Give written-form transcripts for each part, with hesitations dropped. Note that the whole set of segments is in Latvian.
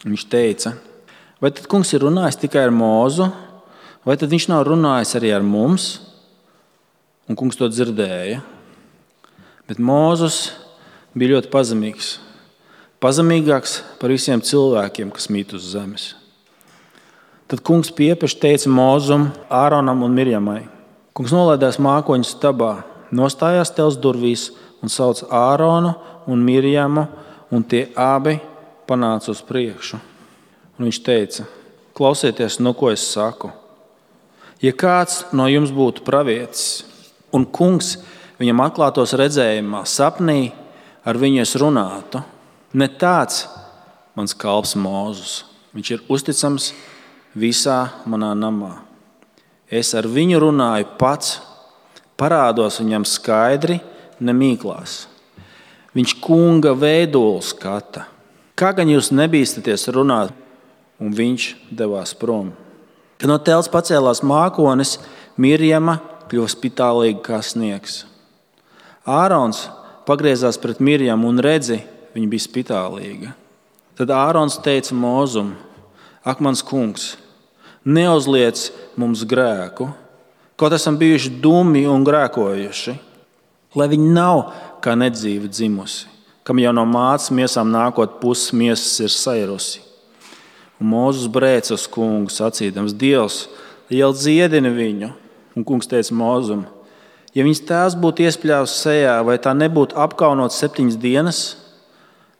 Viņš teica, vai tad kungs ir runājis tikai ar Mūzu, vai tad viņš nav runājis arī ar mums? Un kungs to dzirdēja. Bet Mūzes bija ļoti pazemīgs. Pazemīgāks par visiem cilvēkiem, kas mīt uz zemes. Tad kungs piepeši teica Mūzum, Āronam un Mirjamai. Kungs nolaidās mākoņu stabā, nostājās tels durvīs un sauc Āronu un Mirjamu, un tie abi panāca uz priekšu. Un viņš teica, klausieties, no ko es saku. Ja kāds no jums būtu pravietis, un kungs viņam atklātos redzējumā, sapnī ar viņu es runātu, ne tāds mans kalps Mūzes. Viņš ir uzticams visā manā namā. Es ar viņu runāju pats, parādos viņam skaidri, nemīklās. Viņš kunga veidolu skata. Kā gan jūs nebīstaties runāt? Un viņš devās prom. Kad no telts pacēlās mākonis, Mirjama kļuva spitālīga kā sniegs. Ārons pagriezās pret Mirjamu un redzi, viņa bija spitālīga. Tad Ārons teica Mūzum, ak, mans kungs, neuzliec mums grēku, kaut esam bijuši dumi un grēkojuši, lai viņi nav kā nedzīva dzimusi, kam jau no mātes miesām nākot puses miesas ir sairusi. Un Mūzes brēca uz kungu, sacīdams, Dievs, lieli dziedini viņu. Un kungs teica Mūzum, ja viņas tēvs būtu iespļāvis sejā, vai tā nebūtu apkaunot 7 dienas,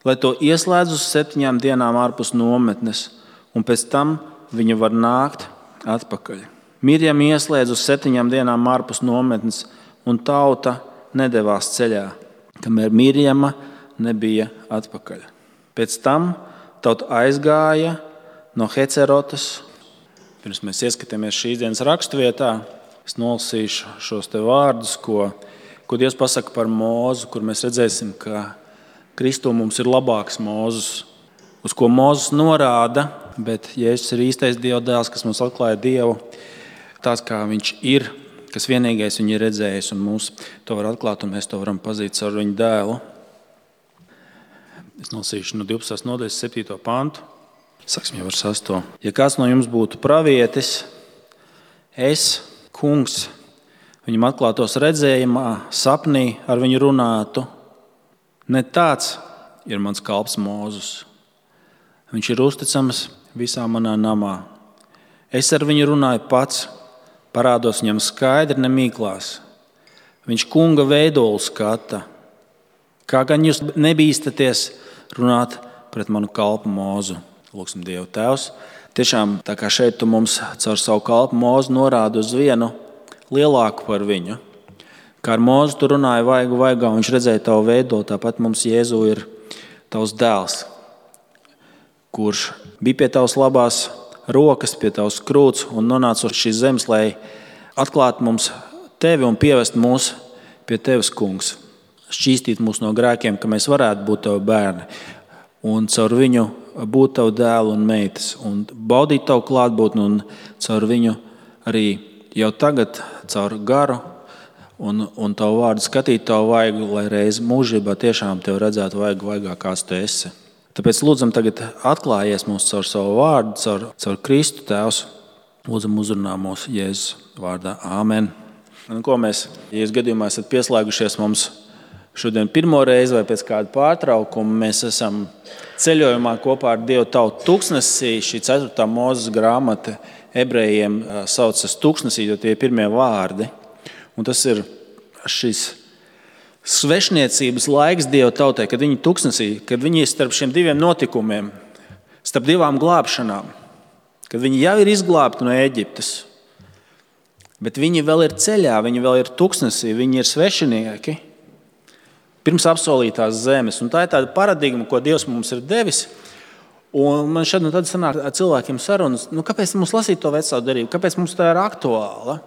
lai to ieslēdz uz 7 dienām ārpus nometnes, un pēc tam viņa var nākt atpakaļ. Mirjam ieslēdz uz 7 dienām ārpus nometnes, un tauta nedevās ceļā, kamēr Mirjama nebija atpakaļ. Pēc tam tauta aizgāja no Hecerotas. Pirms mēs ieskatāmies šīs dienas raksturvietā, es nolasīšu šos te vārdus, ko Dievs pasaka par Mūzu, kur mēs redzēsim, ka Kristū mums ir labāks Mūzes, uz ko Mūzes norāda, bet Jēzus ir īstais Dieva dēls, kas mums atklāja Dievu, tās kā viņš ir, kas vienīgais viņu ir redzējis, un mums to var atklāt, un mēs to varam pazīt caur viņu dēlu. Es nolasīšu no 12. nodaļas 7. pantu. Sāksim jau ar 6. Ja kāds no jums būtu pravietis, es, kungs, viņam atklātos redzējumā, sapnī ar viņu runātu, ne tāds ir mans kalps Mūzes. Viņš ir uzticams visā manā namā. Es ar viņu runāju pats, parādos viņam skaidri, nemīklās. Viņš kunga veidolu skata. Kā gan jūs nebīstaties runāt pret manu kalpu Mūzu? Lūksim Dievu Tēvs. Tiešām tā kā šeit tu mums caur savu kalpu Mūzu norādi uz vienu lielāku par viņu. Kā ar Mūzu tu runāji vaigu vaigā, un viņš redzēja tavu veidolu, tāpat mums Jēzu ir tavs dēls, kurš bija pie tavas labās rokas, pie tavas krūts un nonāca uz šīs zemes, lai atklātu mums tevi un pievest mūs pie tevis, kungs. Šķīstīt mūs no grēkiem, ka mēs varētu būt tavi bērni un caur viņu būt tavu dēlu un meitas un baudīt tavu klātbūtni un caur viņu arī jau tagad caur garu un tavu vārdu skatīt tavu vaigu, lai reiz mūžībā tiešām tevi redzētu vaigu vaigā, kāds tu esi. Tāpēc lūdzam tagad atklājies mums caur savu vārdu, caur Kristu Tēvs. Lūdzam uzrunā mūsu Jēzus vārdā. Āmen. Un ko mēs, ja jūs gadījumā esat pieslēgušies mums šodien pirmo reizi vai pēc kāda pārtraukuma, mēs esam ceļojumā kopā ar Dievu tautu tūkstnesī. Šī 4. Mūzes grāmata ebrejiem saucas tūkstnesī, jo tie ir pirmie vārdi. Un tas ir šis svešniecības laiks Dieva tautai, kad viņi tūkstnesī, kad viņi ir starp šiem diviem notikumiem, starp divām glābšanām, kad viņi jau ir izglābti no Ēģiptes, bet viņi vēl ir ceļā, viņi vēl ir tūkstnesī, viņi ir svešinieki pirms apsolītās zemes. Un tā ir tāda paradigma, ko Dievs mums ir devis. Un man šad un tad sanāk cilvēkiem sarunas, kāpēc mums lasīt to veco derību, kāpēc mums tā ir aktuāla?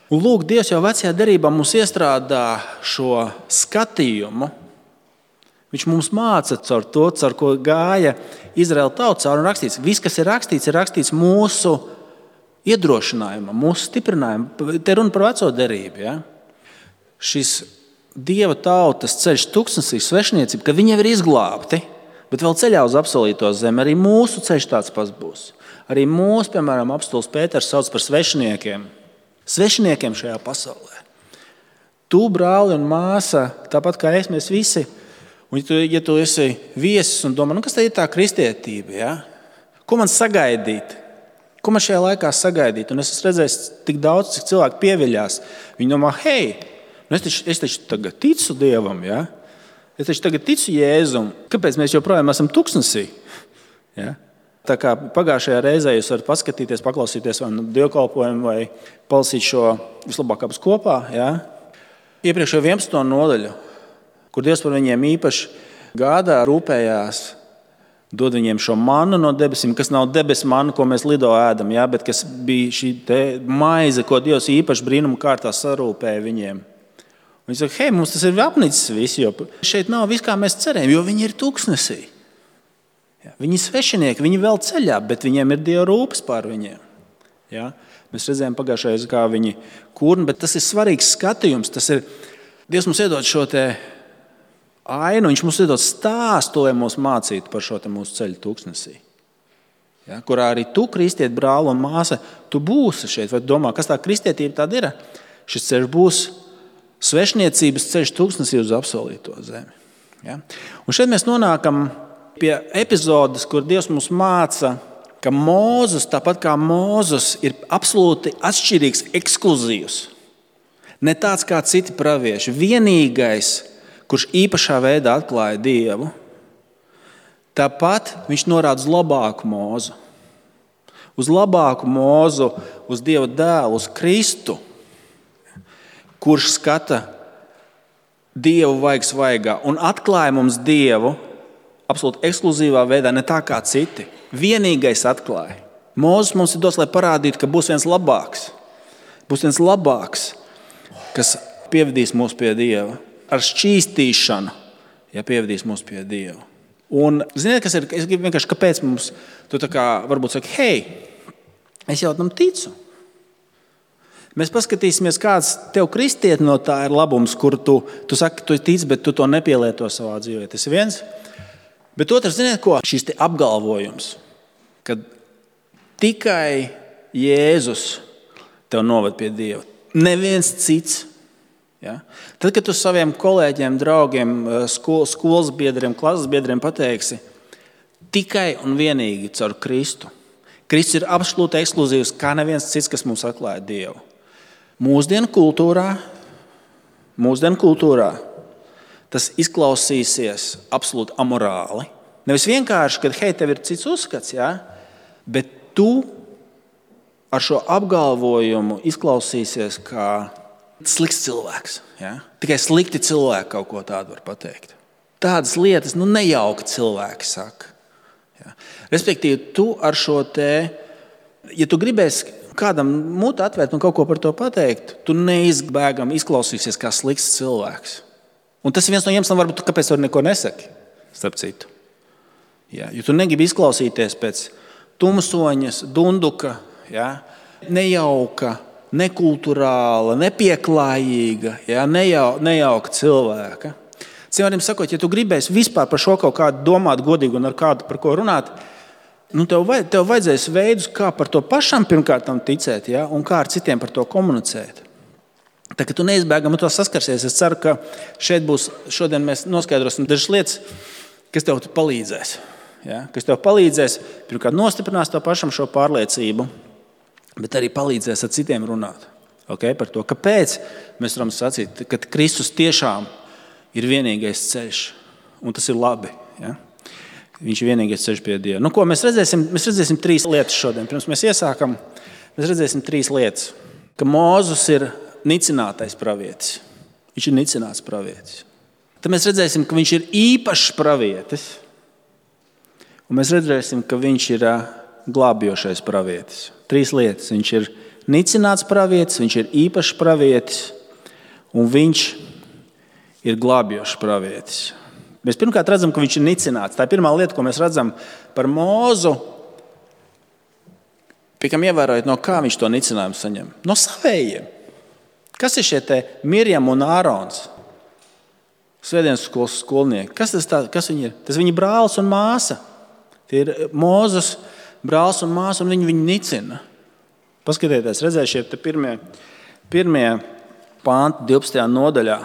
Un lūk, Dievs jau vecajā derībā mums iestrādā šo skatījumu. Viņš mums māca caur to, caur ko gāja Izraēla tauta caur un rakstīts. Viss, kas ir rakstīts mūsu iedrošinājumam, mūsu stiprinājumam. Te runa par veco derību. Ja? Šis Dieva tautas ceļš tūkstnesī svešniecība, kad viņi jau ir izglābti. Bet vēl ceļā uz apsolīto zemi arī mūsu ceļš tāds pats būs. Arī mūsu, piemēram, apostols Pēters sauc par svešiniekiem. Svešiniekiem šajā pasaulē. Tu, brāli un māsa, tāpat kā es, mēs visi. Un ja tu esi viesis un domā, kas tā ir tā kristietība? Ja? Ko man sagaidīt? Ko man šajā laikā sagaidīt? Un es esmu redzējis tik daudz, cik cilvēki pieviļās. Viņi domā, hei, es taču tagad ticu Dievam, ja? Es taču tagad ticu Jēzum. Kāpēc mēs joprojām esam tuksnesī? Ja? Tā kā pagājušajā reizē jūs varat paskatīties, paklausīties vai dievkalpojumu vai palasīt šo vislabāk abas kopā. Ja? Iepriekšējo 11. nodaļu, kur Dievs par viņiem īpaši gādā, rūpējās, dod viņiem šo mannu no debesīm, kas nav debesu manna, ko mēs lido ēdam, ja? Bet kas bija šī maize, ko Dievs īpaši brīnuma kārtā sarūpēja viņiem. Viņi saka, hei, mums tas ir apnicis viss, jo šeit nav viss, kā mēs cerējam, jo viņi ir tuksnesī. Ja? Viņi ir svešinieki, viņi vēl ceļā, bet viņiem ir Dieva rūpes pār viņiem. Ja? Mēs redzējām pagājušajā, kā viņi kurna, bet tas ir svarīgs skatījums. Tas ir, Dievs mums iedod šo te ainu, viņš mums iedod stāstu, lai mūs mācītu par šo te mūsu ceļu tuksnesī. Ja? Kurā arī tu, kristiet, brāli un māsa, tu būsi šeit. Vai tu domā, kas tā kristietība tāda ir? Šis ceļš būs svešniecības ceļš tuksnesī uz apsolīto zemi. Ja? Un šeit mēs nonākam pie epizodes, kur Dievs mums māca, ka Mūzes, tāpat kā Mūzes, ir absolūti atšķirīgs, ekskluzīvs. Ne tāds kā citi pravieši. Vienīgais, kurš īpašā veidā atklāja Dievu, tāpat viņš norāda uz labāku Mūzu. Uz labāku Mūzu, uz Dieva dēlu, uz Kristu, kurš skata Dievu vaigs vaigā un atklāja mums Dievu absolūti ekskluzīvā veidā, ne tā kā citi. Vienīgais atklāja. Mūzes mums ir dos, lai parādītu, ka būs viens labāks. Būs viens labāks, kas pievedīs mūs pie Dieva. Ar šķīstīšanu, ja pievedīs mūs pie Dieva. Un ziniet, kas ir? Es gribu vienkārši, kāpēc mums, tu tā kā varbūt saki, hei, es jau tam ticu. Mēs paskatīsimies, kāds tev kristiet no tā ir labums, kur tu saki, tu tici, bet tu to nepielieto savā dzīvē. Tas ir viens. Bet otrs, ziniet ko? Šis te apgalvojums, ka tikai Jēzus tev noved pie Dieva. Neviens cits. Ja? Tad, kad tu saviem kolēģiem, draugiem, skolas biedriem, klases biedriem pateiksi, tikai un vienīgi caur Kristu. Kristus ir absolūti ekskluzīvs, kā neviens cits, kas mums atklāja Dievu. Mūsdienu kultūrā tas izklausīsies absolūti amorāli. Nevis vienkārši, ka hei, tev ir cits uzskats, ja? Bet tu ar šo apgalvojumu izklausīsies kā slikts cilvēks. Ja? Tikai slikti cilvēki kaut ko tādu var pateikt. Tādas lietas nejauki cilvēki saka. Ja? Respektīvi, tu ar šo te, ja tu gribēsi kādam mutu atvērt un kaut ko par to pateikt, tu neizbēgam izklausīsies kā slikts cilvēks. Un tas ir viens no iemesliem, varbūt, kāpēc tu neko nesaki, starp citu. Ja, jo tu negribi izklausīties pēc tumsoņas, dunduka, ja, nejauka, nekulturāla, nepieklājīga, ja, nejauka cilvēka. Cilvēkiem sakot, ja tu gribēsi vispār par šo kaut kādu domāt godīgi un ar kādu par ko runāt, tev vajadzēs veidus, kā par to pašam pirmkārt ticēt, ja, un kā ar citiem par to komunicēt. Tā kā tu neizbēgami to saskarsies, es ceru, ka šodien mēs noskaidrosim dažas lietas, kas tev palīdzēs. Ja? Kas tev palīdzēs, pirmkārt nostiprinās to pašam šo pārliecību, bet arī palīdzēs ar citiem runāt. Okay? Par to, kāpēc mēs varam sacīt, ka Kristus tiešām ir vienīgais ceļš, un tas ir labi. Ja? Viņš ir vienīgais ceļš pie Dieva. Ko mēs redzēsim? Mēs redzēsim 3 lietas šodien. Pirms mēs iesākam, mēs redzēsim 3 lietas. Ka Mūzes ir nicinātais pravietis. Viņš ir nicināts pravietis. Tad mēs redzēsim, ka viņš ir īpašs pravietis. Un mēs redzēsim, ka viņš ir glābjošais pravietis. 3 lietas. Viņš ir nicināts pravietis, viņš ir īpašs pravietis un viņš ir glābjošs pravietis. Mēs pirmkārt redzam, ka viņš ir nicināts. Tā ir pirmā lieta, ko mēs redzam par Mūzu. Piekam ievērojot, no kā viņš to nicinājumu saņem? No savējiem. Kas ir šie te Mirjam un Ārons? Svētdienas skolas skolnieki. Kas viņi ir? Tas viņa brālis un māsa. Tie ir Mūzes brālis un māsa, un viņi viņu nicina. Paskatieties, redzēsiet, te pirmie panti 12. nodaļā.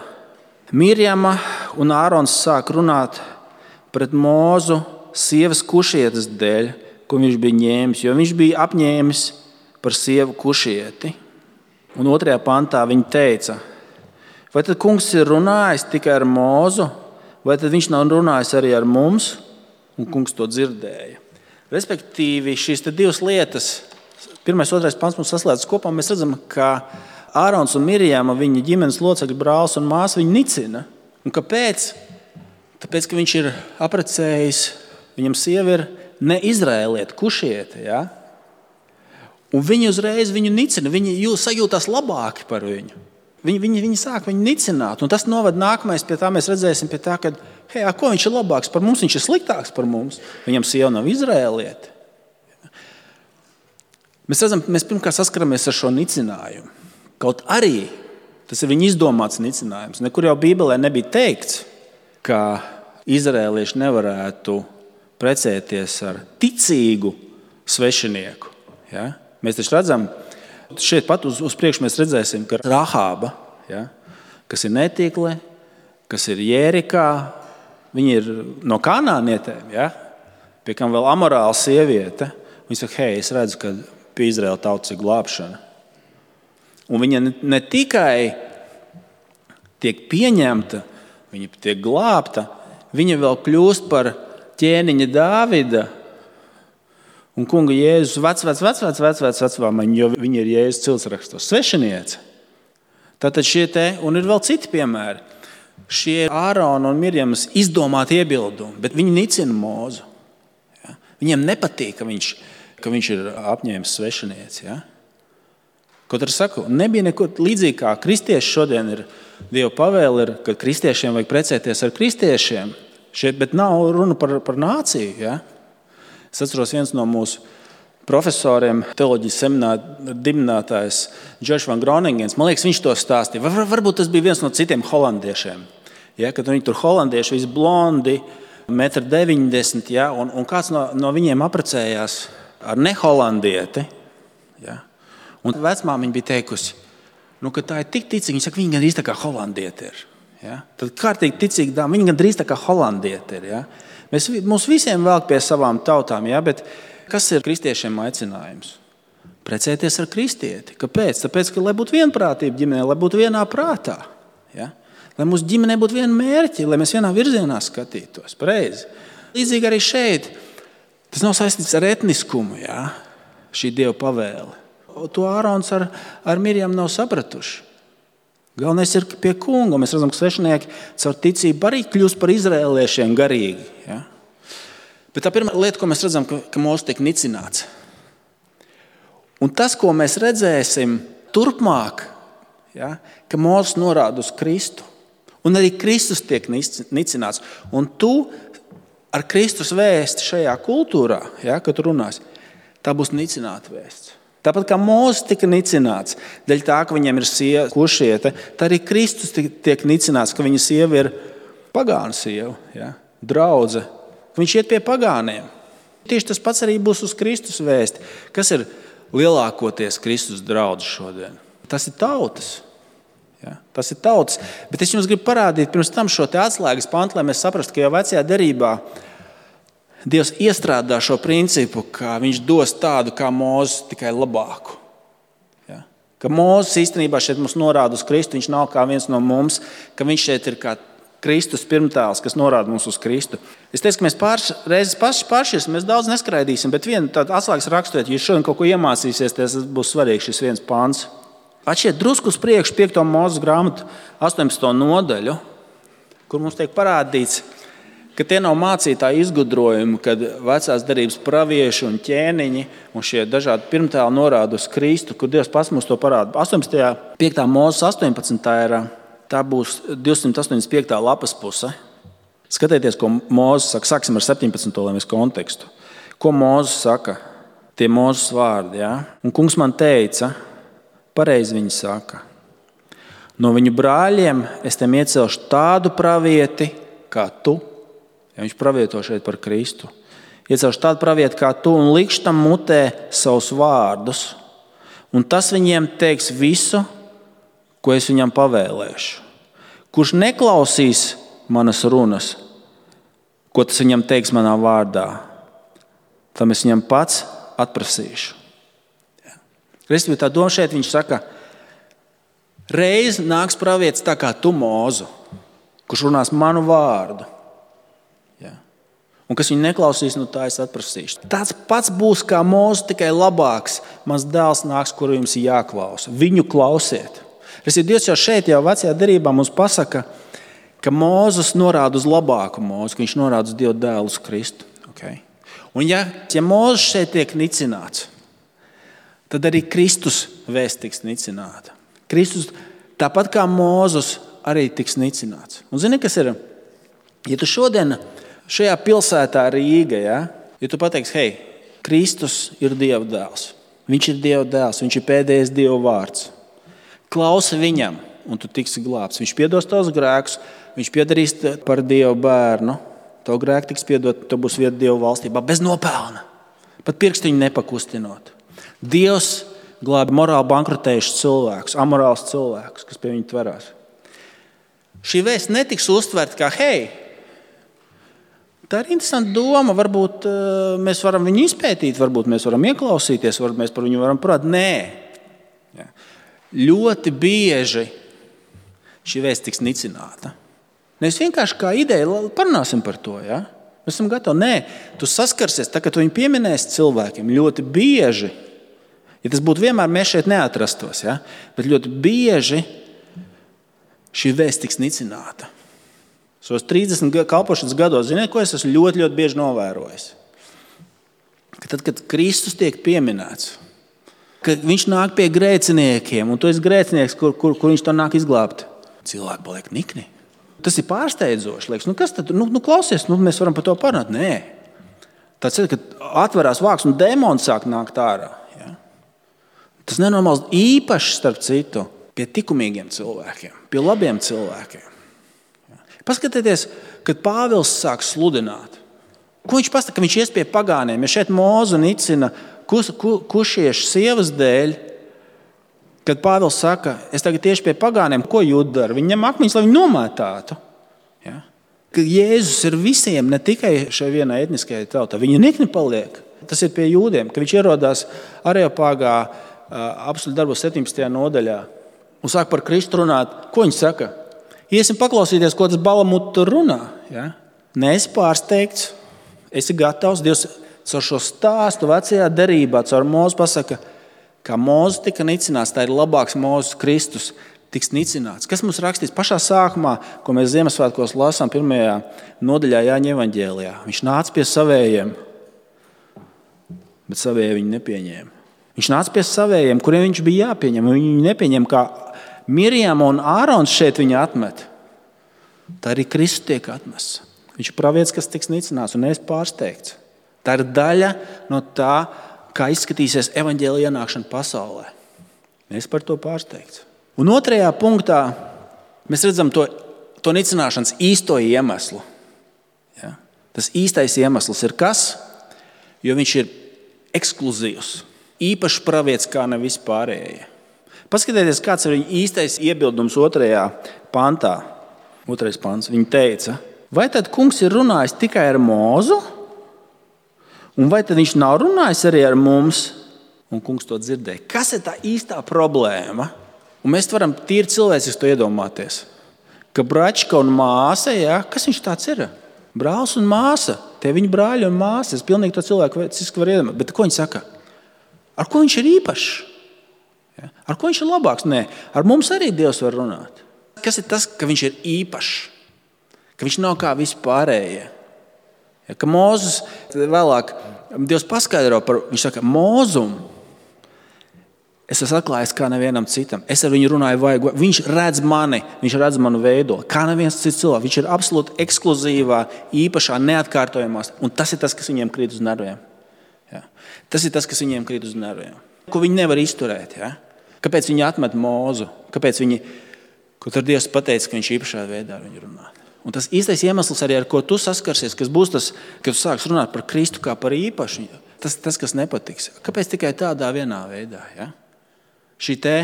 Mirjama un Ārons sāk runāt pret Mūzu sievas kušietes dēļ, ko viņš bija ņēmis, jo viņš bija apņēmis par sievu kušieti. Un 2. pantā viņi teica, vai tad kungs ir runājis tikai ar Mūzu, vai tad viņš nav runājis arī ar mums? Un kungs to dzirdēja. Respektīvi, šīs divas lietas, 1. un 2. pants mums saslēdzas kopā, mēs redzam, ka Ārons un Mirjama, viņa ģimenes locekļi, brālis un māsa, viņu nicina. Un kāpēc? Tāpēc, ka viņš ir apprecējis, viņam sieva ir ne izraēlieta, kušiete. Ja? Un viņi uzreiz viņu nicina, viņi sajūtās labāki par viņu. Viņi sāk viņu nicināt, un tas noved nākamais pie tā, mēs redzēsim pie tā, ka, hei, ko viņš ir labāks par mums, viņš ir sliktāks par mums, viņam sieva nav izraēlieta. Mēs redzam, mēs pirmkārt saskaramies ar šo nicinājumu. Kaut arī tas ir viņa izdomāts nicinājums. Nekur jau Bībelē nebija teikts, ka izraēlieši nevarētu precēties ar ticīgu svešinieku. Ja? Mēs taču redzam, šeit pat uz priekšu mēs redzēsim, ka Rahāba, ja, kas ir netīkle, kas ir Jērikā, viņa ir no kanānietēm, ja, pie kam vēl amorāla sieviete. Viņa saka, hei, es redzu, ka pie Izraēla tautas ir glābšana. Un viņa ne tikai tiek pieņemta, viņa tiek glābta, viņa vēl kļūst par ķēniņa Dāvida un kunga Jēzus vecvecvāmaņu, jo viņa ir Jēzus ciltsrakstos svešiniece. Tātad un ir vēl citi piemēri. Šie Ārona un Mirjamas izdomāti iebildumi, bet viņi nicina Mūzu. Ja? Viņiem nepatīk, ka viņš ir apņēmis svešinieci. Ja? Kaut arī saku, nebija neko līdzīgi kā kristieši šodien ir Dieva pavēle, ka kristiešiem vajag precēties ar kristiešiem. Bet nav runa par nāciju. Ja? Es atceros, viens no mūsu profesoriem, teoloģijas semināra dibinātājs Džordžs Van Groningens, man liekas, viņš to stāstīja. Varbūt tas bija viens no citiem holandiešiem. Ja? Kad viņi tur holandieši, visi blondi, 1,90 m, ja? un kāds no viņiem apprecējās ar neholandieti. Ja? Un vecmāmiņa bija teikusi, ka tā ir tik ticīga. Viņa saka, viņa gandrīz tā kā holandieti ir. Ja? Tad kārtīgi ticīga dāma, viņa gandrīz tā kā holandieti ir. Ja? Mums visiem velk pie savām tautām, ja? Bet kas ir kristiešiem aicinājums? Precēties ar kristieti. Kāpēc? Tāpēc, ka lai būtu vienprātība ģimenē, lai būtu vienā prātā. Ja? Lai mūsu ģimenē būtu viena mērķi, lai mēs vienā virzienā skatītos. Pareizi. Līdzīgi arī šeit. Tas nav saistīts ar etniskumu, ja? Šī Dieva pavēle. To Ārons ar Mirjamu nav sapratuši. Galvenais ir pie kunga. Mēs redzam, ka svešinieki caur ticību arī kļūst par izraēliešiem garīgi. Ja? Bet tā pirmā lieta, ko mēs redzam, ka Mūzes tiek nicināts. Un tas, ko mēs redzēsim turpmāk, ja? Ka Mūzes norāda uz Kristu. Un arī Kristus tiek nicināts. Un tu ar Kristus vēsti šajā kultūrā, ja, kad tu runāsi, tā būs nicināta vēsts. Tāpat kā Mūzes tika nicināts, dēļ tā, ka viņam ir sieva kušiete, tā arī Kristus tiek nicināts, ka viņa sieva ir pagānu sieva, ja, draudze. Viņš iet pie pagāniem. Tieši tas pats arī būs uz Kristus vēsti. Kas ir lielākoties Kristus draudze šodien? Tas ir tautas. Ja, tas ir tautas. Bet es jums gribu parādīt pirms tam šo te atslēgas pantu, lai mēs saprastu, ka jau vecajā derībā Dievs iestrādā šo principu, ka viņš dos tādu kā Mūzes, tikai labāku. Ja? Ka Mūzes īstenībā šeit mums norāda uz Kristu, viņš nav kā viens no mums, ka viņš šeit ir kā Kristus pirmtēls, kas norāda mums uz Kristu. Es teicu, ka mēs pāris reizes pāršķirsim, mēs daudz neskraidīsim, bet viena tāda atslēgas raksturiet, ja jūs šodien kaut ko iemācīsieties, tas būs svarīgs šis viens pants. Atšķiet drusku uz priekšu 5. Mūzes grāmatu 18. nodaļu, kur mums tiek parādīts, ka tie nav mūcītāji izgudrojumi, kad vecās derības pravieši un ķēniņi un šie dažādi pirmtēli norāda uz Kristu, kur Dievs pats mums to parāda. 5. Mūzes 18. Tā būs 285. lapas puse. Skatieties, ko Mūzes saka. Sāksim ar 17. lai mēs kontekstu. Ko Mūzes saka? Tie Mūzes vārdi. Ja? Un kungs man teica, pareizi viņi saka, No viņu brāļiem es tiem iecelšu tādu pravieti kā tu. Ja viņš pravieto šeit par Kristu. Iecelšu tādu pravieti kā tu un likšu tam mutē savus vārdus. Un tas viņiem teiks visu, ko es viņam pavēlēšu. Kurš neklausīs manas runas, ko tas viņam teiks manā vārdā, tam es viņam pats atprasīšu. Respektīvi, tā doma šeit viņš saka, reiz nāks pravietis tā kā tu, Mūzu, kurš runās manu vārdu. Ja. Un kas viņu neklausīs, no tā es atprasīšu. Tāds pats būs kā Mūzu, tikai labāks. Mans dēls nāks, kuru jums ir jāklausa. Viņu klausiet. Dievs jau šeit, jau vecajā derībā mums pasaka, ka Mūzes norāda uz labāku Mūzu, ka viņš norāda uz Dieva dēlu, uz Kristu. Okay? Un ja Mūzes šeit tiek nicināts, tad arī Kristus vēsts tiks nicināta. Kristus, tāpat kā Mūzes, arī tiks nicināts. Un zini, kas ir? Ja tu šodien šajā pilsētā Rīga, ja tu pateiksi, hei, Kristus ir Dieva dēls. Viņš ir Dieva dēls, viņš ir pēdējais Dieva vārds. Klausi viņam, un tu tiksi glābts. Viņš piedos tavus grēkus, viņš piedarīs par Dieva bērnu. Tavu grēku tiks piedot, tu būs vieta Dieva valstībā bez nopelna. Pat pirkstiņu nepakustinot. Dievs glābi morāli bankrotējušus cilvēkus, amorālus cilvēkus, kas pie viņa tverās. Šī vēsts netiks uztverta kā, hei, tā ir interesanta doma, varbūt mēs varam viņu izpētīt, varbūt mēs varam ieklausīties, varbūt mēs par viņu varam prāt. Nē. Ja. Ļoti bieži šī vēsts tiks nicināta. Nevis vienkārši kā ideja, parunāsim par to. Ja? Mēs esam gatavi. Nē, tu saskarsies, tā, kad tu viņu pieminēsi cilvēkiem, ļoti bieži, ja tas būtu vienmēr, mēs šeit neatrastos, ja? Bet ļoti bieži šī vēsts tiks nicināta. Savos 30 kalpošanas gados, ziniet, ko es esmu ļoti, ļoti bieži novērojis? Ka tad, kad Kristus tiek pieminēts, ka viņš nāk pie grēciniekiem, un tu esi grēcinieks, kur viņš to nāk izglābt. Cilvēki paliek nikni. Tas ir pārsteidzoši. Liekas, kas tad? Klausies, mēs varam par to parunāt. Nē. Tāds ir, kad atverās vāks un dēmoni sāk nākt ārā. Ja? Tas nenormāls īpaši, starp citu, pie likumīgiem cilvēkiem, pie labiem cilvēkiem. Ja? Paskatieties, kad Pāvils sāk sludināt. Ko viņš pasaka, ka viņš ies pie pagāniem? Ja šeit Mūzu nicina kušiešu sievas dēļ, kad Pāvils saka, es tagad tieši pie pagāniem, ko Jūda dara? Viņi ņem akmeņus, lai viņi nomētātu. Ja? Ka Jēzus ir visiem, ne tikai šai vienai etniskajai tautai. Viņa nikni paliek. Tas ir pie jūdiem, ka viņš ierodās Areopāgā apstuļu darbos 17. nodaļā un sāk par Kristu runāt. Ko viņš saka? Iesim paklausīties, ko tas Balamut tur runā. Ja? Neesi pārsteigts, esi gatavs. Dievs caur šo stāstu vecajā derībā, caur Mūzu pasaka, kā Mūzes tika nicināts, tā ir labāks Mūzes Kristus tiks nicināts. Kas mums rakstīts pašā sākumā, ko mēs Ziemassvētkos lasām 1. nodaļā Jāņa evaņģēlijā? Viņš nāca pie savējiem, bet savējie viņu nepieņēma. Viņš nāca pie savējiem, kuriem viņš bija jāpieņem, un viņi nepieņem, kā Mirjama un Ārons šeit viņu atmet. Tā arī Kristus tiek atmests. Viņš ir pravietis, kas tiks nicināts, un neesi pārsteigts. Tā ir daļa no tā, kā izskatīsies evaņģēlija ienākšana pasaulē. Mēs par to pārsteigts. Un 2. punktā mēs redzam to nicināšanas īsto iemeslu. Ja? Tas īstais iemesls ir kas? Jo viņš ir ekskluzīvs. Īpašs pravietis kā ne vispārējie. Paskatieties, kāds ir viņa īstais iebildums 2. pantā. 2. pants. Viņa teica, vai tad kungs ir runājis tikai ar Mūzu? Un vai tad viņš nav runājis arī ar mums? Un kungs to dzirdēja. Kas ir tā īstā problēma? Un mēs varam tīri cilvēciski to iedomāties. Ka bračka un māsa, ja, kas viņš tāds ir? Brālis un māsa. Tie viņa brāļi un māsa. Es pilnīgi to cilvēku var iedomāt. Bet ko viņš saka? Ar ko viņš ir īpašs? Ja? Ar ko viņš ir labāks? Nē, ar mums arī Dievs var runāt. Kas ir tas, ka viņš ir īpašs? Ka viņš nav kā vispārējie. Ja, ka Mūzes vēlāk Dievs paskaidro par, viņš saka, Mūzumu es esmu atklājis kā nevienam citam. Es ar viņu runāju, viņš redz mani, viņš redz manu veidoli, kā neviens cits cilvēks. Viņš ir absolūti ekskluzīvā, īpašā, neatkārtojamā. Un tas ir tas, kas viņiem krīt uz nerviem. Ja. Tas ir tas, kas viņiem krīt uz nerviem. Ko viņi nevar izturēt. Ja. Kāpēc viņi atmet Mūzu? Kāpēc viņi Ko tur Dievs pateica, ka viņš īpašā veidā ar viņu runā. Un tas īstais iemesls arī, ar ko tu saskarsies, kas būs tas, kad tu sāks runāt par Kristu kā par īpašu, tas kas nepatiks. Kāpēc tikai tādā vienā veidā? Ja? Šī te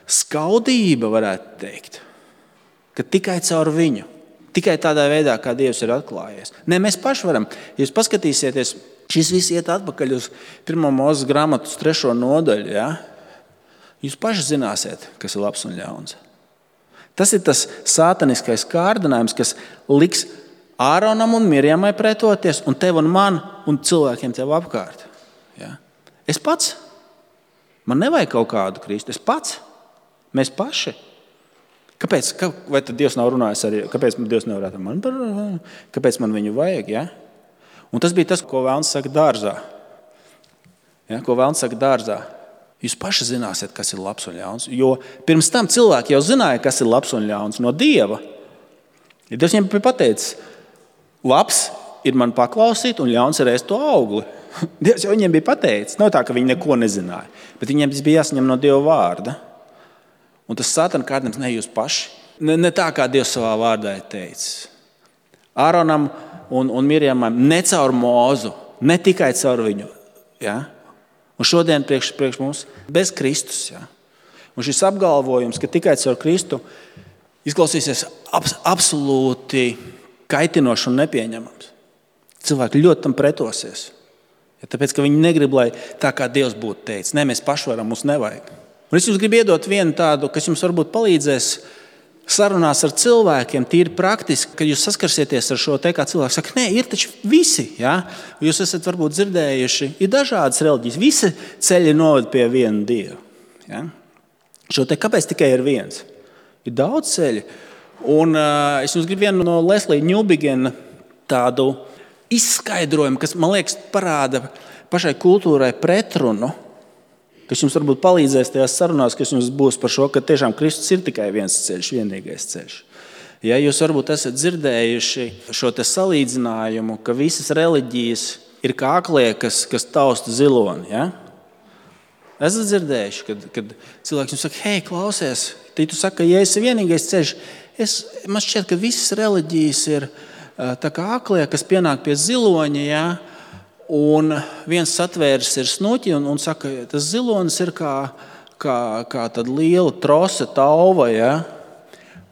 skaudība, varētu teikt, ka tikai caur viņu, tikai tādā veidā, kā Dievs ir atklājies. Nē, mēs paši varam. Ja jūs paskatīsieties, šis viss iet atpakaļ uz 1. Mūzes grāmatas 3. nodaļu. Ja? Jūs paši zināsiet, kas ir labs un ļauns. Tas ir tas sātaniskais kārdinājums, kas liks Āronam un Mirjamai pretoties, un tev un man un cilvēkiem tev apkārt. Ja? Es pats. Man nevajag kaut kādu Kristu. Es pats. Mēs paši. Kāpēc? Vai tad Dievs nav runājis arī? Kāpēc Dievs nevarētu man par? Kāpēc man viņu vajag? Ja? Un tas bija tas, ko Vēlns saka dārzā. Ja? Ko Vēlns saka dārzā. Jūs paši zināsiet, kas ir labs un ļauns. Jo pirms tam cilvēki jau zināja, kas ir labs un ļauns no Dieva. Ja Dievs viņiem bija pateicis, labs ir man paklausīt un ļauns ir ēst to augli. Dievs jau viņiem bija pateicis. Nav tā, ka viņi neko nezināja. Bet viņiem tas bija jāsaņem no Dieva vārda. Un tas sātana kārdinājums ne jūs paši. Ne tā, kā Dievs savā vārdā ir teicis. Āronam un Mirjamam ne caur Mūzu, ne tikai caur viņu. Ja? Un šodien priekš mums bez Kristus. Ja? Un šis apgalvojums, ka tikai caur Kristu, izklausīsies absolūti kaitinoši un nepieņemams. Cilvēki ļoti tam pretosies. Ja, tāpēc, ka viņi negrib, lai tā kā Dievs būtu teicis. Nē, mēs paši varam, mums nevajag. Un es jums gribu iedot vienu tādu, kas jums varbūt palīdzēs sarunās ar cilvēkiem, tīri praktiski, kad jūs saskarsieties ar šo te, kā cilvēks saka, nē, ir taču visi. Ja? Jūs esat varbūt dzirdējuši, ir dažādas reliģijas. Visi ceļi noved pie viena Dieva. Ja? Šo te kāpēc tikai ir viens? Ir daudz ceļu. Un es jums gribu vienu no Leslija Ņūbigena tādu izskaidrojumu, kas, man liekas, parāda pašai kultūrai pretrunu, kas jums varbūt palīdzēs tajās sarunās, kas jums būs par šo, ka tiešām Kristus ir tikai viens ceļš, vienīgais ceļš. Ja jūs varbūt esat dzirdējuši šo te salīdzinājumu, ka visas reliģijas ir kā aklie, kas tausta ziloni. Ja? Esat dzirdējuši, kad cilvēks jums saka, hei, klausies, tu saki, ka ja esi vienīgais ceļš, man šķiet, ka visas reliģijas ir tā kā aklie, kas pienāk pie ziloņa, ja? Un viens satvērs ir snuķi un saka, tas zilonis ir kā tāda liela trose, tauva, ja?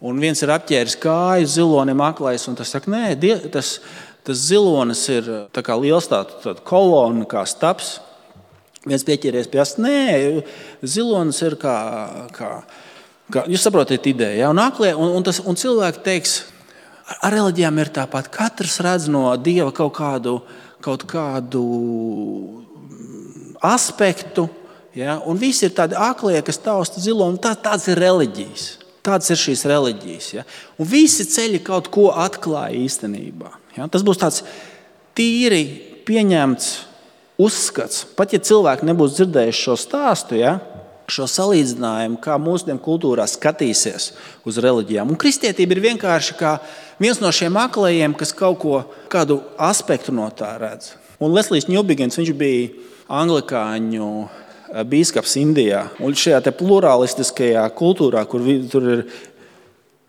Un viens ir apķēris kāju zilonim aklais, un tas saka, nē, tas zilonis ir tā kā liels tāda kolona, kā staps. Viens pieķēries pie ast, nē, zilonis ir kā jūs saprotat ideju, ja? Un aklie, un cilvēki teiks, ar reliģijām ir tāpat, katrs redz no Dieva kaut kādu aspektu, ja? Un visi ir tādi aklie, kas tausta ziloni. Tāds ir reliģijas. Tādas ir šīs reliģijas. Ja? Un visi ceļi kaut ko atklāja īstenībā. Ja? Tas būs tāds tīri pieņemts uzskats. Pat ja cilvēki nebūs dzirdējuši šo stāstu, ja? Šo salīdzinājumu, kā mūsdienu kultūrā skatīsies uz reliģijām. Un kristietība ir vienkārši kā viens no šiem aklajiem, kas kādu aspektu no tā redz. Un Leslijs Ņūbigens, viņš bija anglikāņu bīskaps Indijā. Un šajā te pluralistiskajā kultūrā, kur tur ir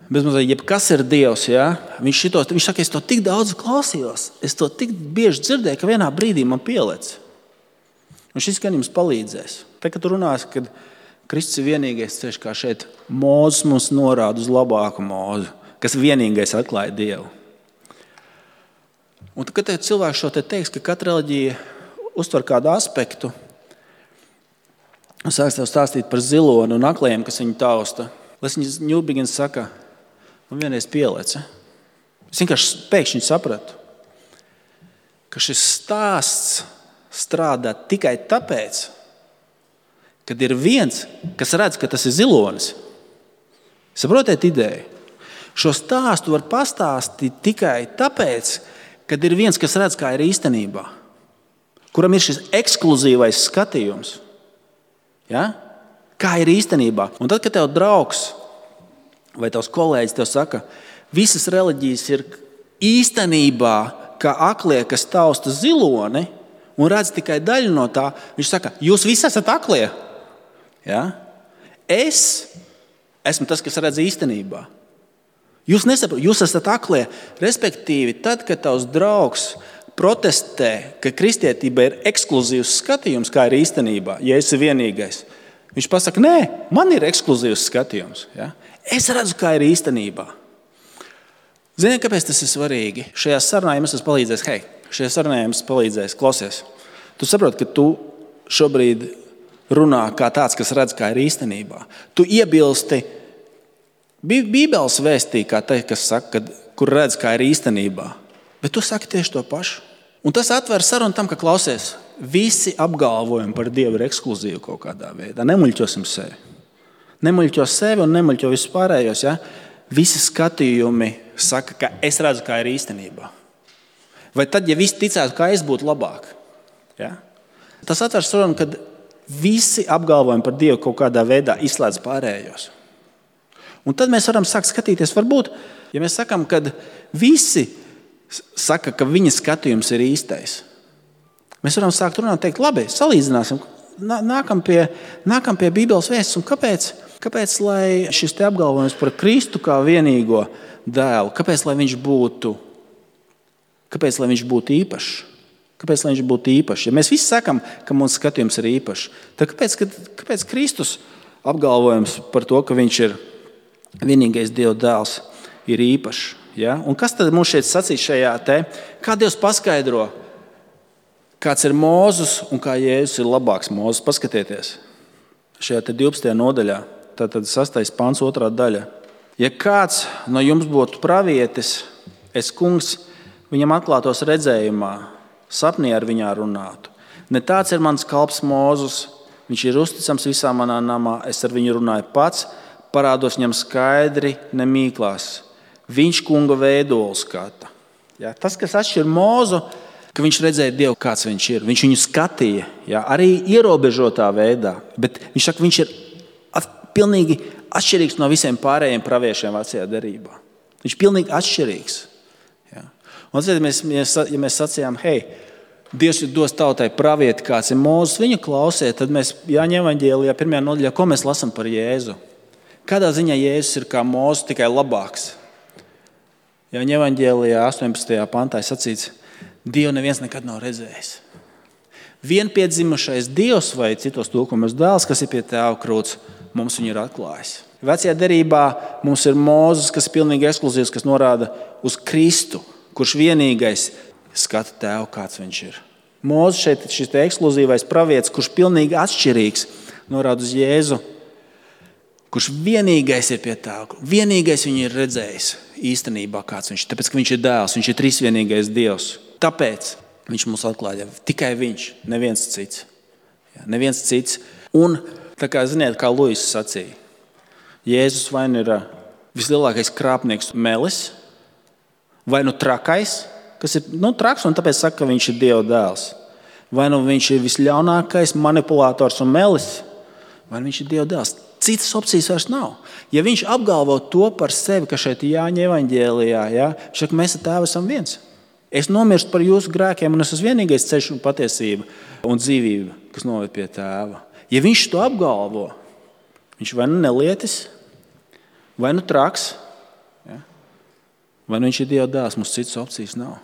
bezmazliet jebkas ir Dievs, ja? Viņš saka, es to tik daudz klausījos, es to tik bieži dzirdēju, ka vienā brīdī man pielec. Un šis gan jums palīdzēs. Tā, kad tu runās, kad Kristus ir vienīgais ceļš, kā šeit Mūzes mums norāda uz labāku Mūzu, kas vienīgais atklāja Dievu. Un tad, kad cilvēks šo te teiks, ka katra reliģija uztver kādu aspektu, un sāks tev stāstīt par ziloni un akliem, kas viņu tausta, Leslijs Ņūbigens saka, man vienreiz pieleca. Es vienkārši pēkšņi sapratu, ka šis stāsts strādā tikai tāpēc, kad ir viens, kas redz, ka tas ir zilonis. Saprotiet ideju? Šo stāstu var pastāstīt tikai tāpēc, kad ir viens, kas redz, kā ir īstenībā. Kuram ir šis ekskluzīvais skatījums. Ja? Kā ir īstenībā. Un tad, kad tev draugs vai tavs kolēģis tev saka, visas reliģijas ir īstenībā kā aklie, kas tausta ziloni un redz tikai daļu no tā, viņš saka, jūs visi esat aklie. Ja? Es esmu tas, kas redz īstenībā. Jūs nesaprotat, jūs esat aklie. Respektīvi, tad, kad tavs draugs protestē, ka kristietība ir ekskluzīvs skatījums, kā ir īstenībā, ja esi vienīgais, viņš pasaka, nē, man ir ekskluzīvs skatījums. Ja? Es redzu, kā ir īstenībā. Ziniet, kāpēc tas ir svarīgi? Šajā sarunā jums palīdzēs, klausies. Tu saproti, ka tu šobrīd runā kā tāds, kas redz, kā ir īstenībā. Tu iebilsti Bībeles vēstī, kā te, kas saka, kur redz, kā ir īstenībā. Bet tu saki tieši to pašu. Un tas atver sarunu tam, ka klausies, visi apgalvojumi par Dievu ir ekskluzīvi kaut kādā veidā. Nemuļķosim sevi. Nemuļķo sevi un nemuļķo visus pārējos. Ja? Visi skatījumi saka, ka es redzu, kā ir īstenībā. Vai tad, ja visi ticētu, kā es būtu labāk? Ja? Tas atver sarunu, kad visi apgalvojumi par Dievu kaut kādā veidā izslēdz pārējos. Un tad mēs varam sākt skatīties, varbūt, ja mēs sakām, ka visi saka, ka viņa skatījums ir īstais. Mēs varam sākt runāt un teikt, labi, salīdzināsim, nākam pie Bībeles vēstas. Un kāpēc lai šis te apgalvojums par Kristu kā vienīgo dēlu, kāpēc lai viņš būtu īpašs? Kāpēc lai viņš būtu īpašs? Ja mēs visi sakam, ka mūsu skatījums ir īpašs, tad kāpēc Kristus apgalvojums par to, ka viņš ir vienīgais Dieva dēls, ir īpašs? Ja? Un kas tad mums šeit sacīs šajā te? Kā Dievs paskaidro, kāds ir Mūzes un kā Jēzus ir labāks Mūzes? Paskatieties šajā te 12. nodaļā, tātad 6. pants, 2. daļa. Ja kāds no jums būtu pravietis, es, kungs, viņam atklātos redzējumā, sapnī ar viņā runātu. Ne tāds ir mans kalps Mūzes, viņš ir uzticams visā manā namā, es ar viņu runāju pats, parādos viņam skaidri, nemīklās. Viņš kunga veidolu skata. Ja, tas, kas atšķir Mūzu, ka viņš redzēja Dievu, kāds viņš ir. Viņš viņu skatīja, ja, arī ierobežotā veidā. Bet viņš saka, viņš ir pilnīgi atšķirīgs no visiem pārējiem praviešiem vecajā derībā. Viņš ir pilnīgi atšķirīgs. Ja. Un tad, ja mēs sacījām, hei, Dievs ir dos tautai pravieti, kāds ir Mūzes, viņu klausiet, tad mēs Jāņa evaņģēlijā 1. nodaļā, ko mēs lasām par Jēzu? Kādā ziņā Jēzus ir kā Mūzes, tikai labāks? Jāņa evaņģēlijā 18. pantā sacīts, Dievu neviens nekad nav redzējis. Vienpiedzimušais Dievs vai citos tulkumos dēls, kas ir pie tēva krūts, mums viņu ir atklājis. Vecajā derībā mums ir Mūzes, kas ir pilnīgi ekskluzīvs, kas norāda uz Kristu, kurš vienīgais skata tēvu, kāds viņš ir. Mūzes šeit šis ekskluzīvais pravietis, kurš pilnīgi atšķirīgs, norāda uz Jēzu, kurš vienīgais ir pie tēva, vienīgais viņu ir redzējis īstenībā, kāds viņš ir. Tāpēc, ka viņš ir dēls, viņš ir trīsvienīgais Dievs. Tāpēc viņš mums atklāja tikai viņš, neviens cits. Ja, neviens cits. Un, tā kā ziniet, kā Luis sacīja, Jēzus vai nu ir vislielākais krāpnieks melis, vai nu trakais, kas ir traks un tāpēc saka, ka viņš ir Dieva dēls. Vai nu viņš ir visļaunākais manipulātors un melis, vai nu viņš ir Dieva dēls. Citas opcijas vairs nav. Ja viņš apgalvo to par sevi, ka šeit Jāņa evaņģēlijā, ja, šeit mēs ar tēvu esam viens. Es nomirstu par jūsu grēkiem un es esmu vienīgais ceļš un patiesība un dzīvība, kas noved pie tēva. Ja viņš to apgalvo, viņš vai nu nelietis, vai nu traks, ja, vai nu viņš ir Dieva dēls, mums citas opcijas nav.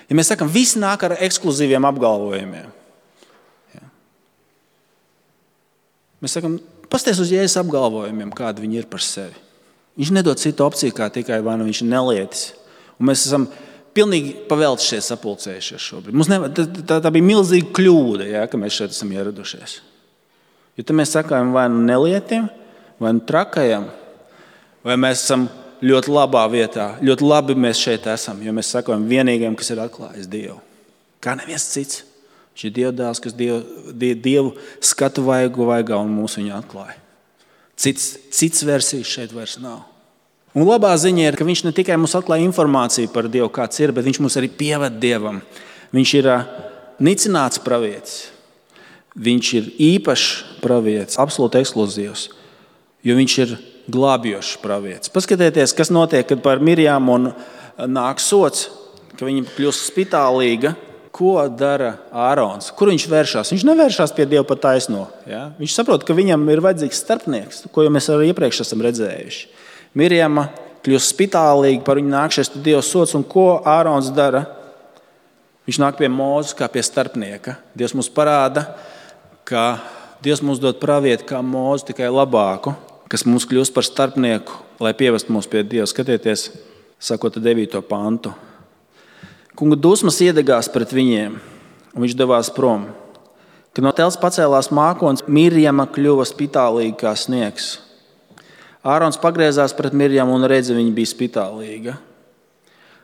Ja mēs sakam, visi nāk ar ekskluzīviem apgalvojumiem. Ja. Mēs sakam, pasties uz Jēzus apgalvojumiem, kādi viņi ir par sevi. Viņš nedod citu opciju, kā tikai vai nu viņš ir nelietis. Un mēs esam pilnīgi paveltušies, sapulcējušies šobrīd. Tā bija milzīga kļūda, ja, ka mēs šeit esam ieradušies. Jo tad mēs sakām vai nu nelietim, vai nu trakajam, vai mēs esam ļoti labā vietā. Ļoti labi mēs šeit esam, jo mēs sakām vienīgajam, kas ir atklājis Dievu. Kā neviens cits. Viņš ir Dieva dēls, kas Dievu skatu vaigā un mūs viņu atklāja. Cits versijas šeit vairs nav. Un labā ziņa ir, ka viņš ne tikai mums atklāja informāciju par Dievu, kāds ir, bet viņš mūs arī pieved Dievam. Viņš ir nicināts pravietis. Viņš ir īpašs pravietis, absolūti ekskluzīvs, jo viņš ir glābjošs pravietis. Paskatieties, kas notiek, kad par Mirjāmu nāk sots, ka viņa kļūst spitālīga. ko dara Ārons? Kur viņš vēršās? Viņš nevēršās pie Dieva pa taisno. Ja? Viņš saprot, ka viņam ir vajadzīgs starpnieks, ko jau mēs arī iepriekš esam redzējuši. Mirjama kļūst spitālīga, par viņu nākšies Dieva sods, un ko Ārons dara? Viņš nāk pie Mūzes kā pie starpnieka. Dievs mums parāda, ka Dievs mums dod pravietu kā Mūzu, tikai labāku, kas mums kļūst par starpnieku, lai pievestu mūs pie Dieva. Skatieties, sakot 9. pantu. Kunga dusmas iedegās pret viņiem, un viņš devās prom. Kad no telts pacēlās mākonis, Mirjama kļuva spitālīga kā sniegs. Ārons pagriezās pret Mirjamu un redzi, viņa bija spitālīga.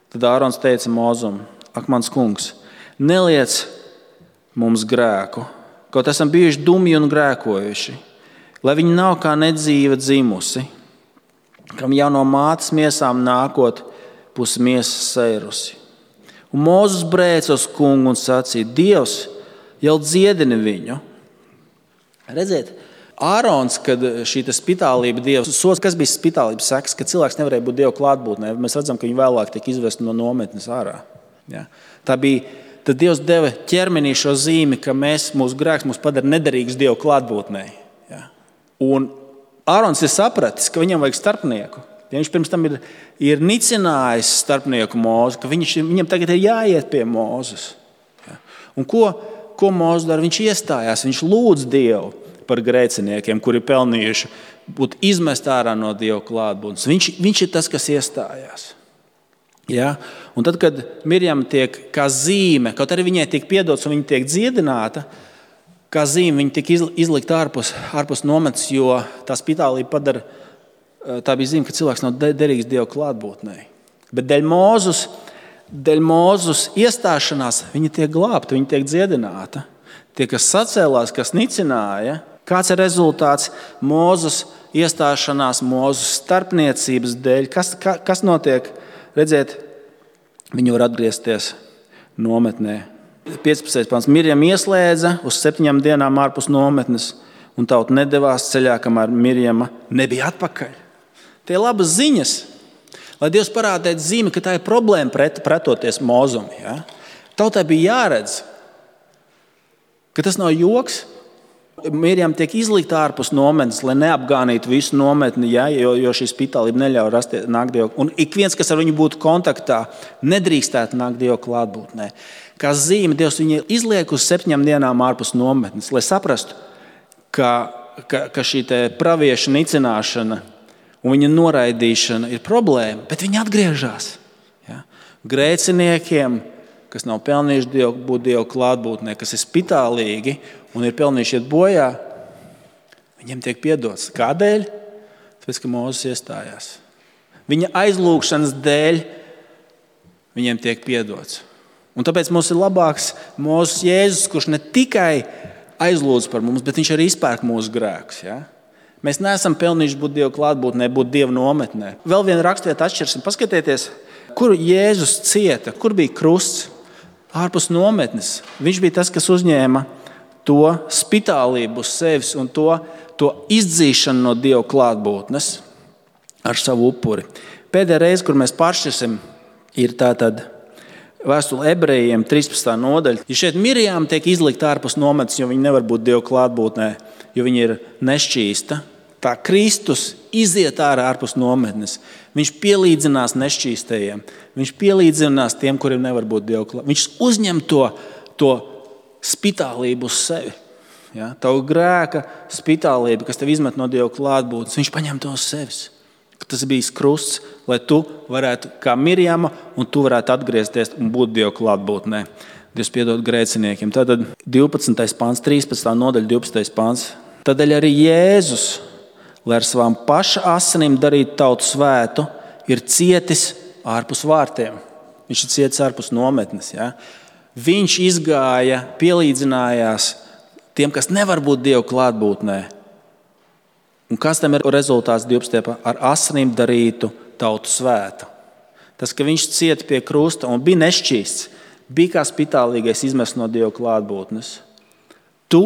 Tad Ārons teica Mūzum: Ak, mans kungs, neliec mums grēku, kaut esam bijuši dumji un grēkojuši, lai viņi nav kā nedzīva dzimusi, kam jau no mātes miesām nākot pus miesas seirusi. Un Mūzes brēca uz kungu un sacīja: Dievs jau dziedini viņu. Redziet, Ārons, kad šī spitālība Dievs sods, kas bija spitālības sekas, ka cilvēks nevarēja būt Dieva klātbūtnē. Mēs redzam, ka viņi vēlāk tika izvesti no nometnes ārā. Ja? Tad Dievs deva ķermenī šo zīmi, ka mūsu grēks mūs padara nederīgus Dieva klātbūtnē. Ja? Un Ārons ir sapratis, ka viņam vajag starpnieku. Ja viņš pirms tam ir nicinājis starpnieku Mūzu, ka viņam tagad ir jāiet pie Mūzes. Ja? Un ko Mūzes dara? Viņš iestājās, viņš lūdz Dievu par grēciniekiem, kuri pelnījuši būt izmest ārā no Dieva klātbūtnes. Viņš ir tas, kas iestājās. Ja? Un tad, kad Mirjama tiek kā zīme, kaut arī viņai tiek piedots un viņa tiek dziedināta, kā zīme viņa tiek izlikt ārpus nometnes, jo tā spitālība padara, tā bija zīme, ka cilvēks nav derīgs Dieva klātbūtnē. Bet dēļ Mūzes iestāšanās viņa tiek glābta, viņa tiek dziedināta. Tie, kas sacēlās, kas nicināja, kāds ir rezultāts Mūzes iestāšanās, Mūzes starpniecības dēļ? Kas notiek? Redziet, viņi var atgriezties nometnē. 15. pants. Mirjama ieslēdza uz 7 dienām ārpus nometnes, un tauta nedevās ceļā, kamēr Mirjama nebija atpakaļ. Tie ir labas ziņas, lai Dievs parādētu zīmi, ka tā ir problēma pretoties Mūzum. Ja? Tautai bija jāredz, ka tas nav joks. Mirjama tiek izlikta ārpus nometnes, lai neapgānītu visu nometni, ja? jo šī spitālība neļauj nākt Dievu. Un ik viens, kas ar viņu būtu kontaktā, nedrīkstētu nākt Dievu klātbūtnē. Kā zīme Dievs viņu izliek uz 7 dienām ārpus nometnes, lai saprastu, ka šī pravieša nicināšana un viņa noraidīšana ir problēma, bet viņi atgriežas. Ja? Grēciniekiem, kas nav pelnījuši būt Dieva klātbūtnē, kas ir spitālīgi un ir pelnījuši iet bojā, viņiem tiek piedots. Kādēļ? Tāpēc, ka Mūzes iestājās. Viņa aizlūgšanas dēļ viņiem tiek piedots. Un tāpēc mums ir labāks Mūzes Jēzus, kurš ne tikai aizlūdz par mums, bet viņš arī izpērk mūsu grēkus. Ja? Mēs neesam pelnījuši būt Dieva klātbūtnē, būt Dieva nometnē. Vēl viena rakstvieta atšķirsim. Paskatieties, kur Jēzus cieta, kur bija krusts. Ārpus nometnes. Viņš bija tas, kas uzņēma to spitālību uz sevis un to izdzīšanu no Dieva klātbūtnes ar savu upuri. Pēdējā reize, kur mēs pāršķirsim, ir tātad vēstule Ebrejiem 13. nodaļa. Ja šeit Mirjama tiek izlikta ārpus nometnes, jo viņa nevar būt Dieva klātbūtnē, jo viņa ir nešķīsta, tā Kristus iziet ārpus nometnes. Viņš pielīdzinās nešķīstajiem. Viņš pielīdzinās tiem, kuriem nevar būt Dieva klātbūtnē. Viņš uzņem to spitālību uz sevi. Ja? Tavu grēka spitālību, kas tev izmet no Dieva klātbūtnes, viņš paņem to uz sevis. Tas bija krusts, lai tu varētu kā Mirjama un tu varētu atgriezties un būt Dieva klātbūtnē. Dievs piedod grēciniekiem. Tātad 12. pāns, 13. nodaļa, 12. pāns. Tādēļ arī Jēzus, lai ar savām paša asinīm darītu tautu svētu, ir cietis ārpus vārtiem. Viņš ir cietis ārpus nometnes. Ja? Viņš izgāja, pielīdzinājās tiem, kas nevar būt Dieva klātbūtnē. Un kas tam ir rezultāts 12. ar asinīm darītu tautu svētu? Tas, ka viņš cieta pie krusta un bija nešķīsts, bija kā spitālīgais izmests no Dieva klātbūtnes. Tu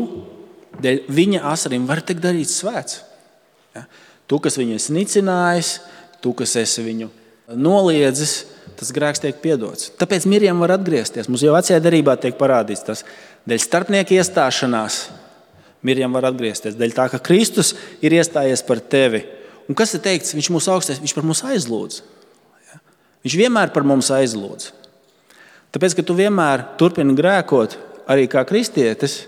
dēļ viņa asinīm vari tikt darīts svēts. Ja? Tu, kas viņu esi nicinājis, tu, kas esi viņu noliedzis, tas grēks tiek piedots. Tāpēc Mirjam var atgriezties. Mums jau vecajā derībā tiek parādīts tas. Dēļ starpnieka iestāšanās Mirjam var atgriezties. Dēļ tā, ka Kristus ir iestājies par tevi. Un kas ir teikts? Viņš mūs augstais, viņš par mums aizlūdz. Viņš vienmēr par mums aizlūdz. Tāpēc, ka tu vienmēr turpini grēkot, arī kā kristietis,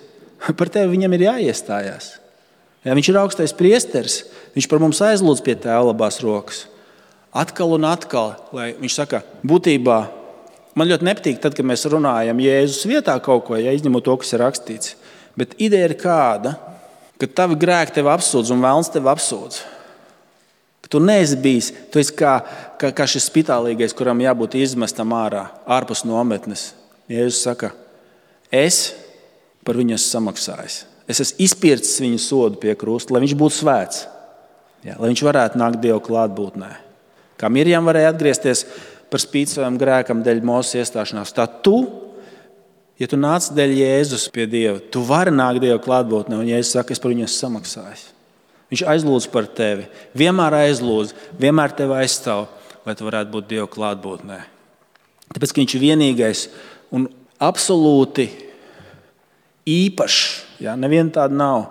par tevi viņam ir jāiestājās. Viņš ir augstais priesteris, viņš par mums aizlūdz pie Tēva labās rokas. Atkal un atkal, lai viņš saka, būtībā, man ļoti nepatīk tad, kad mēs runājam Jēzus vietā kaut ko, izņemot to, kas ir rakstīts. Bet ideja ir kāda, ka tavi grēki tevi apsūdz un vēlns tevi apsūdz. Ka tu neesi bijis, tu esi kā šis spitālīgais, kuram jābūt izmestam ārpus nometnes. Jēzus saka, es par viņu esmu samaksājis. Es esmu izpircis viņu sodu pie krusta, lai viņš būtu svēts. Lai viņš varētu nākt Dieva klātbūtnē. Kā Mirjam varēja atgriezties par spīti savam grēkam dēļ Mozus iestāšanās. Tā tu, ja tu nāc dēļ Jēzus pie Dieva, tu vari nākt Dieva klātbūtnē, un Jēzus saka, es par viņu esmu samaksājis. Viņš aizlūdz par tevi, vienmēr aizlūdz, vienmēr tevi aizstāv, lai tu varētu būt Dieva klātbūtnē. Tāpēc, ka viņš ir vienīgais un absolūti īpašs, neviena tāda nav,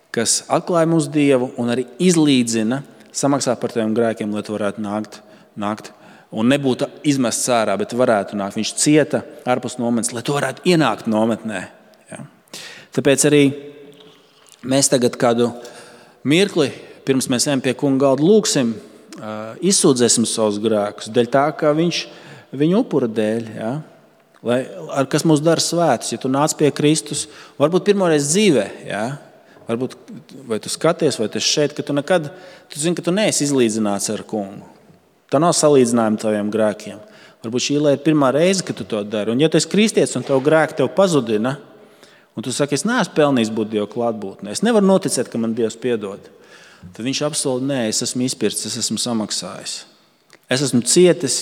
kas atklāja mums Dievu un arī izlīdzina, samaksā par taviem grēkiem, lai tu varētu nākt un nebūtu izmests ārā, bet varētu nākt. Viņš cieta ārpus nometnes, lai tu varētu ienākt nometnē. Tāpēc arī mēs tagad kādu mirkli, pirms mēs ejam pie kunga galda, lūksim, izsūdzēsim savus grēkus, dēļ tā, ka viņš viņu upura dēļ, kas mūs dara svētus. Ja tu nāc pie Kristus, varbūt pirmoreiz dzīvē, varbūt vai tu skaties, vai tu esi šeit, ka tu zini, ka tu neesi izlīdzināts ar kungu. Tā nav salīdzinājuma taviem grēkiem. Varbūt šī ir pirmā reize, kad tu to dari. Un ja tu esi kristietis un tev grēki tev pazudina, un tu saki, es neesmu pelnījis būt Dieva klātbūtnē, es nevaru noticēt, ka man Dievs piedod, tad viņš apsolīja, nē, es esmu izpircis, es esmu samaksājis. Es esmu cietis,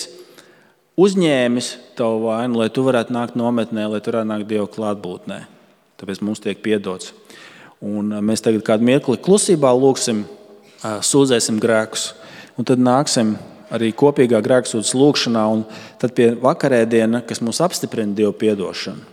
uzņēmis tavu vainu, lai tu varētu nākt nometnē, lai tu varētu nākt Dieva klātbūtnē. Tāpēc mums tiek piedots. Un mēs tagad kādu mirkli klusībā lūksim, sūdzēsim grēkus, un tad nāksim arī kopīgā grēksūdzes lūkšanā, un tad pie vakarēdiena, kas mums apstiprina Dievu piedošanu.